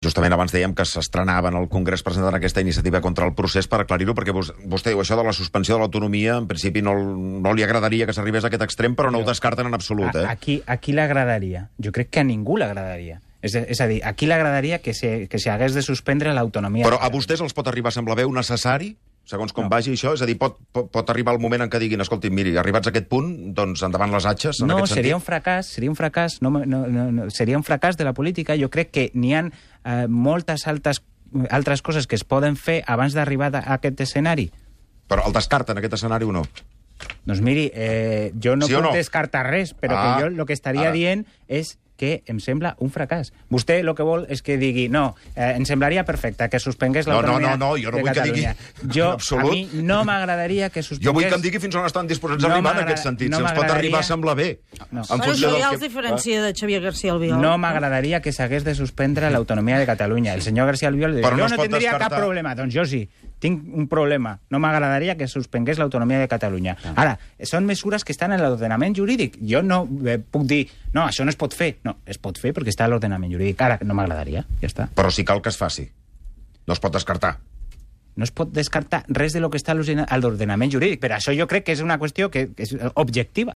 Justament abans dèiem que s'estrenava en el Congrés presentant aquesta iniciativa contra el procés. Per aclarir-ho, perquè vostè diu això de la suspensió de l'autonomia, en principi no li agradaria que s'arribés a aquest extrem, però no ho descarten en absolut. A qui l'agradaria? Jo crec que a ningú l'agradaria. És a dir, a qui l'agradaria que s'hagués de suspendre l'autonomia? Però a vostès els pot arribar a semblar bé necessari, segons com vagi això? És a dir, pot arribar el moment en què diguin, escolti, miri, arribats a aquest punt, doncs endavant les atxes, en aquest sentit? No, seria un fracàs seria un fracàs de la política. Jo crec que n'hi ha moltes altres coses que es poden fer abans d'arribar a aquest escenari. Però el descarten, aquest escenari, o no? Doncs miri, jo no puc descartar res, però que jo el que estaria dient és que em sembla un fracàs. Vostè el que vol és que digui, no, em semblaria perfecte que suspengués l'autonomia de Catalunya. No, jo no vull que digui en absolut. A mi no m'agradaria que suspengués... Jo vull que em digui fins on estan disposats a arribar en aquest sentit. Si ens pot arribar a semblar bé. Però això ja els diferencia de Xavier García Albiol. No m'agradaria que s'hagués de suspendre l'autonomia de Catalunya. El senyor García Albiol diu, jo no tindria cap problema. Doncs jo sí, tinc un problema. No m'agradaria que suspengués l'autonomia de Catalunya. Ara, són mesures que estan en l'ordenament jurídic. Jo no puc dir, no, això no es pot fer. No, es pot fer perquè està a l'ordenament jurídic. Ara, no m'agradaria, ja està. Però sí cal que es faci. No es pot descartar. No es pot descartar res de lo que està a l'ordenament jurídic. Per això jo crec que és una qüestió que és objectiva.